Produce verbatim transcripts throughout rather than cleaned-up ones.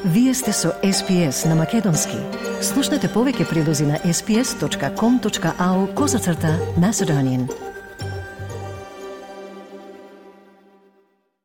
Вие сте со Ес Пи Ес на Македонски. Слушнете повеќе прилози на ес пи ес точка ком точка ау козацрта Macedonian.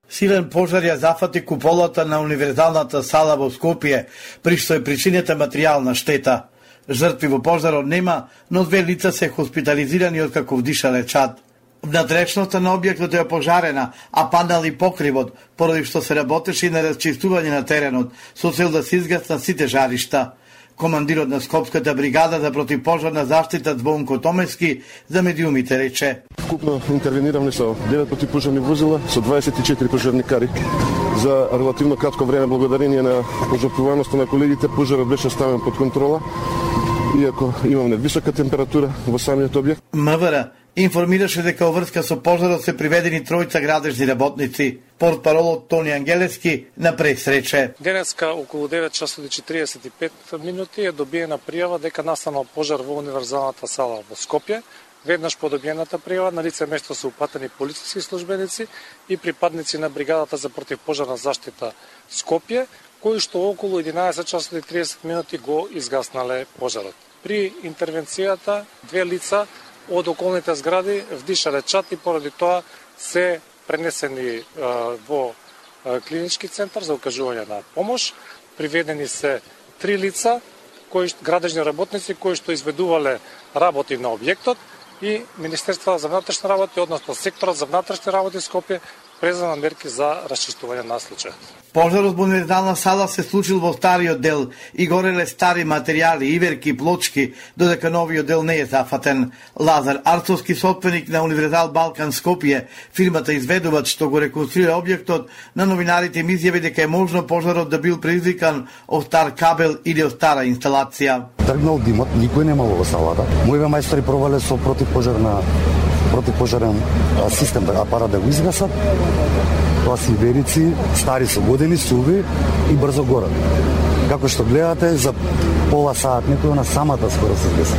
Силен пожар ја зафати куполата на универзалната сала во Скопје, при што е причинета материјална штета. Жртви во пожарот нема, но две лица се хоспитализирани откако вдишале чад. Внатрешноста на објектот е пожарена, а панел и покривот, поради што се работеше и на расчистување на теренот, со цел да се изгаснат сите жаришта. Командирот на Скопската бригада за противпожарна заштита Звонко Томески за медиумите рече: Вкупно интервениравме со девет противпожарни возила, со дваесет и четири пожарникари. За релативно кратко време, благодарение на пожртвуваноста на колегите, пожарот беше ставен под контрола, иако имаме висока температура во самиот објект. МВР информираше дека во врска со пожарот се приведени тројца градежни работници. Портпаролот Тони Ангелевски на прес рече: Денеска околу девет часот и четириесет и пет минути е добиена пријава дека настанал пожар во универзалната сала во Скопје. Веднаш по добиената пријава на лице место се упатени полициски службеници и припадници на бригадата за противпожарна заштита Скопје, кои што околу единаесет часот и триесет минути го изгаснале пожарот. При интервенцијата две лица од околните згради вдишале чад и поради тоа се пренесени а, во а, клинички центар за окажување на помош. Приведени се три лица, кои градежни работници кои што изведувале работи на објектот, и Министерството за внатрешни работи, односно секторот за внатрешни работи Скопје, презема мерки за расчистување на случајот. Пожарот во универзална сала се случил во стариот дел и гореле стари материјали, иверки, плочки, додека новиот дел не е зафатен. Лазар Арцовски, собственик на Универзал Балкан Скопје, фирмата изведувач што го реконструира објектот, на новинарите им изјави дека е можно пожарот да бил предизвикан од стар кабел или од стара инсталација. Тргнал димот, никој немало во салата. Моите мајстори пробале со противпожарна противпожарен систем, апарат да го изгасат. Тоа си верици, стари со години, суви и брзо горат. Како што гледате, за пола саат некој на самата скоро се изгаси.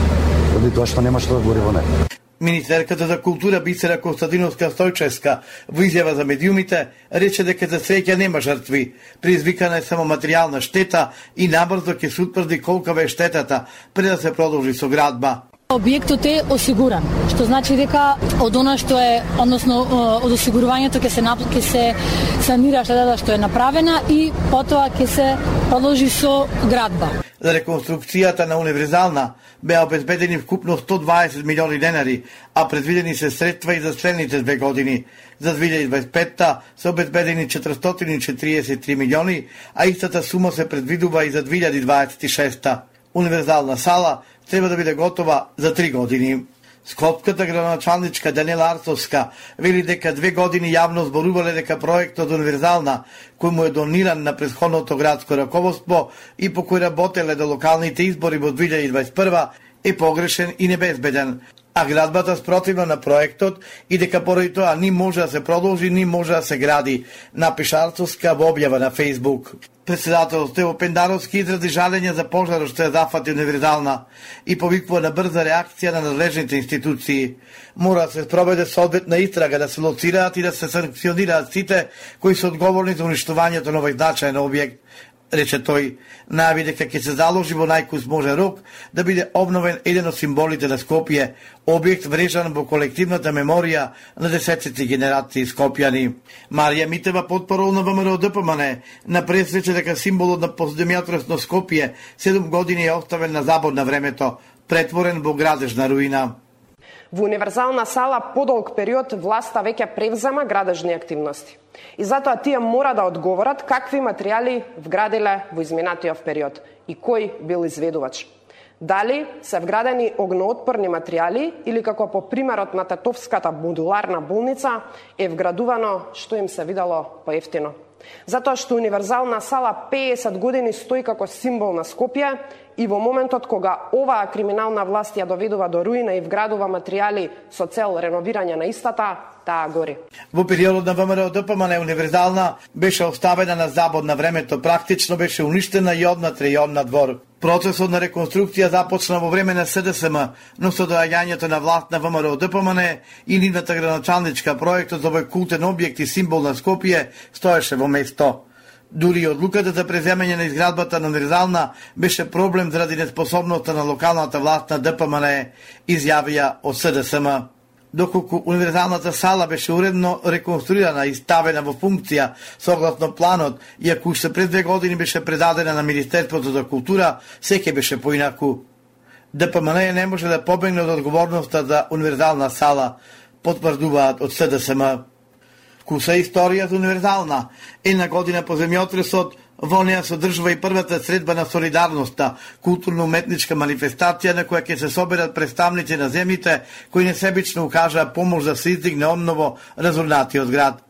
Оди тоа што нема што да гори во неја. Министерката за култура Бисера Константиновска Стојчевска во изјава за медиумите рече дека за среќа нема жртви. Предизвикана е само материјална штета и набрзо ќе се утврди колкава е штетата пред да се продолжи со градба. Објектот е осигуран, што значи дека од она што е, односно од осигурувањето ќе се ќе се санира штетата што е направена и потоа ќе се продолжи со градба. За реконструкцијата на универзална беа обезбедени вкупно сто дваесет милиони денари, а предвидени се средства и за следните две години. За две илјади дваесет и петта се обезбедени четиристотини и четириесет и три милиони, а истата сума се предвидува и за две илјади дваесет и шеста. Универзална сала треба да биде готова за три години. Скопската градоначалничка Даниела Арцовска вели дека две години јавно зборувале дека проектот универзална, кој му е дониран на претходното градско раководство и по кој работеле до локалните избори во две илјади дваесет и прва, е погрешен и небезбеден, а градбата спротивно на проектот и дека поради тоа ни може да се продолжи, ни може да се гради, напиша Арцовска во објава на Фејсбук. Председател Стево Пендаровски изрази жалење за пожарот што е зафати универзална и повикува на брза реакција на надлежните институции. Мора да се спроведе соодветна истрага, да се лоцираат и да се санкционираат сите кои се одговорни за уништувањето на овој значаен објект, рече тој. Најави дека ќе се заложи во најкус може рок да биде обновен еден од символите на Скопје, објект врежан во колективната меморија на десетци генерации скопјани. Марија Митева, потпорол на ВМРО Д П М Н, на прес рече дека символот на постдемјатресно Скопје седум години е оставен на забор на времето, претворен во градежна руина. Во универзална сала подолг период власта веќе превзема градежни активности. И затоа тие мора да одговорат какви материјали вградиле во изминатиот период и кој бил изведувач. Дали се вградени огноотпорни материјали или како по примерот на Татовската модуларна болница е вградувано што им се видело поевтино. Затоа што универзална сала пеесет години стои како символ на Скопје и во моментот кога оваа криминална власт ја доведува до руина и вградува материјали со цел реновирање на истата, таа гори. Во периодот на ВМРО Д П М Н универзална беше оставена на забор на времето, практично беше уништена и однатре и одна двор. Процесот на реконструкција започна во време на С Д С М, но со доаѓањето на власт на ВМРО Д П М Н и нивната градоначалничка, проектот за овој култен објект и символ на Скопје стоеше во место. Дури и одлуката за преземање на изградбата на универзална беше проблем заради неспособноста на локалната власт на Д П М Н Е, изјавија од С Д С М. Доколку универзалната сала беше уредно реконструирана и ставена во функција согласно планот, иако уште пред две години беше предадена на Министерството за култура, секе беше поинаку. Д П М Н Е не може да побегне од одговорноста за универзална сала, потврдуваат од С Д С М. Куса историја за универзална. Една година по земјотресот, во неја содржува и првата средба на солидарноста, културно-уметничка манифестација на која ќе се соберат представници на земјите кои несебично укажаа помош да се издигне обново разорнатиот град.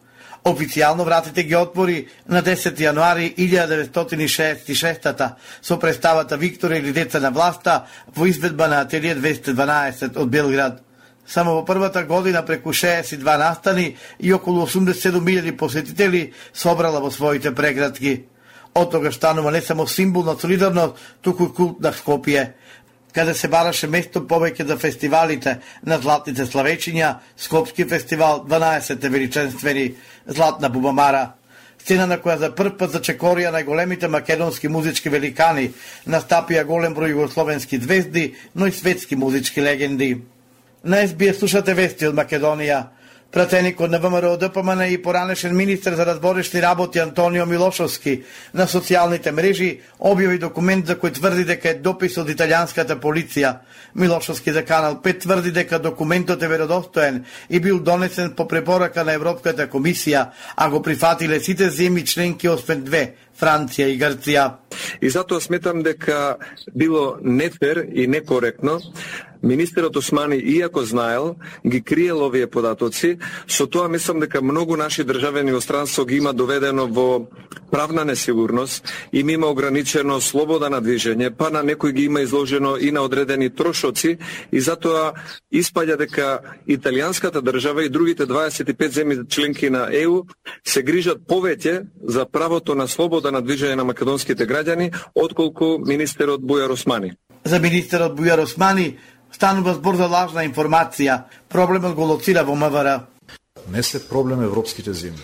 Официјално вратите ги отвори на десети јануари илјада деветстотини шеесет и шеста со представата Виктора или деца на власта во изведба на Ателие двеста дванаесет од Белград. Само во првата година преку шеесет и два настани и околу осумдесет и седум илјади посетители собрала во своите преградки. Од тога станува не само символ на солидарност, туку и култ на Скопје, каде се бараше место повеќе за фестивалите на златните славечиња, Скопски фестивал, дванаесетте величенствени, Златна бубамара, сцена на која за прв пат зачекорија најголемите македонски музички великани, настапија голем број југословенски звезди, но и светски музички легенди. На Ес Би Ес слушате вести од Македонија. Пратеникот на Вэ М Р Д П М Н и поранешен министер за разборешни работи Антонио Милошовски на социјалните мрежи објави документ за кој тврди дека е допис од италијанската полиција. Милошовски за Канал пет тврди дека документот е веродостоен и бил донесен по препорака на Европската комисија, а го прифатиле сите земји членки освен две, Франција и Грција. И затоа сметам дека било нефер и некоректно министерот Османи, иако знаел, ги криел овие податоци. Со тоа мислам дека многу наши државени во странство ги има доведено во правна несигурност, им има ограничено слобода на движење, па на некој ги има изложено и на одредени трошоци, и затоа испаѓа дека италијанската држава и другите дваесет и пет земји членки на Е У се грижат повеќе за правото на слобода на движење на македонските граѓани, отколку министерот Бујар Османи. За министерот Бујар Османи станува збор за лажна информација. Проблемот го лоцира во М В Р. Не се проблем европските земји.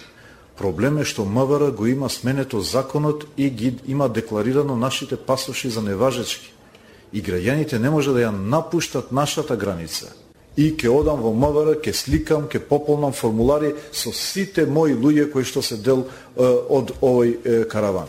Проблем е што М В Р го има сменето законот и ги има декларирано нашите пасоши за неважечки. И граѓаните не може да ја напуштат нашата граница. И ке одам во М В Р, ке сликам, ке пополнам формулари со сите мои луѓе кои што се дел е, од овој е, караван.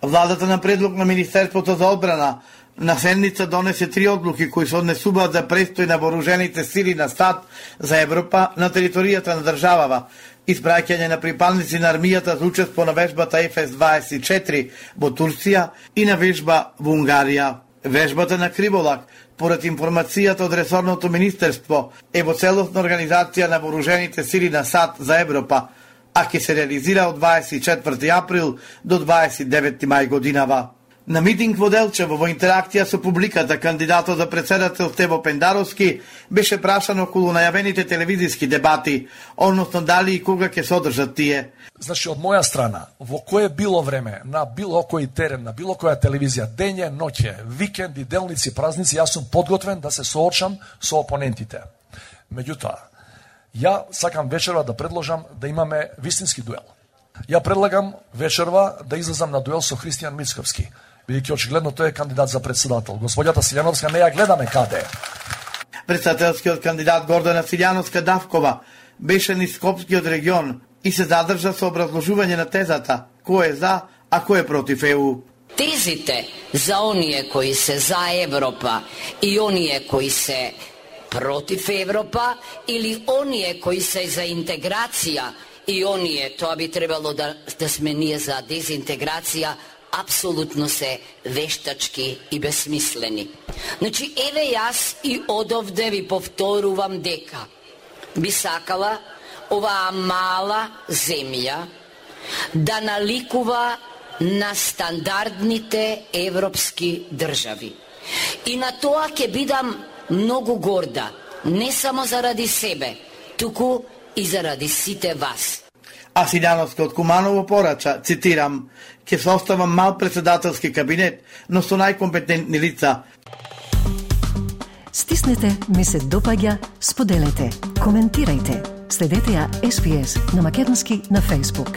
Владата на предлог на Министерството за одбрана на седница донесе три одлуки кои се однесуваат за престој на вооружените сили на САД за Европа на територијата на државава, испраќање на припадници на армијата за учество на вежбата Еф Ес дваесет и четири во Турција и на вежба во Унгарија. Вежбата на Криволак, поред информацијата од ресорното министерство, е во целосна организација на вооружените сили на САД за Европа, а ќе се реализира од дваесет и четврти април до дваесет и деветти мај годинава. На митинг во Делчево во интеракција со публиката, кандидатот за председател Стево Пендаровски беше прашан околу најавените телевизиски дебати, односно дали и кога ќе се одржат тие. Значи, од моја страна, во кое било време, на било кој терен, на било која телевизија, дење, ноќе, викенди, делници, празници, јас сум подготвен да се соочам со опонентите. Меѓутоа, ја сакам вечерва да предложам да имаме вистински дуел. Ја предлагам вечерва да излезам на дуел со Христијан Мицковски, бидејќи очигледно тој е кандидат за председател. Господјата Силјановска не ја гледаме каде. Председателскиот кандидат Гордана Силјановска Давкова беше низ Скопскиот регион и се задржа со образложување на тезата кој е за, а кој е против Е У. Тезите за оние кои се за Европа и оние кои се против Европа или оние кои се за интеграција и оние, тоа би требало да, да сме ние за дезинтеграција, апсолутно се вештачки и безсмислени. Значи, еве јас и одовде ви повторувам дека би сакала оваа мала земја да наликува на стандардните европски држави. И на тоа ќе бидам многу горда, не само заради себе, туку и заради сите вас. А Силјановска од Куманово порача, цитирам, ќе се остава мал председателски кабинет, но со најкомпетентни лица. Стиснете, ми се допаѓа, споделете, коментирајте. Следете ја Ес Би Ес на македонски на Facebook.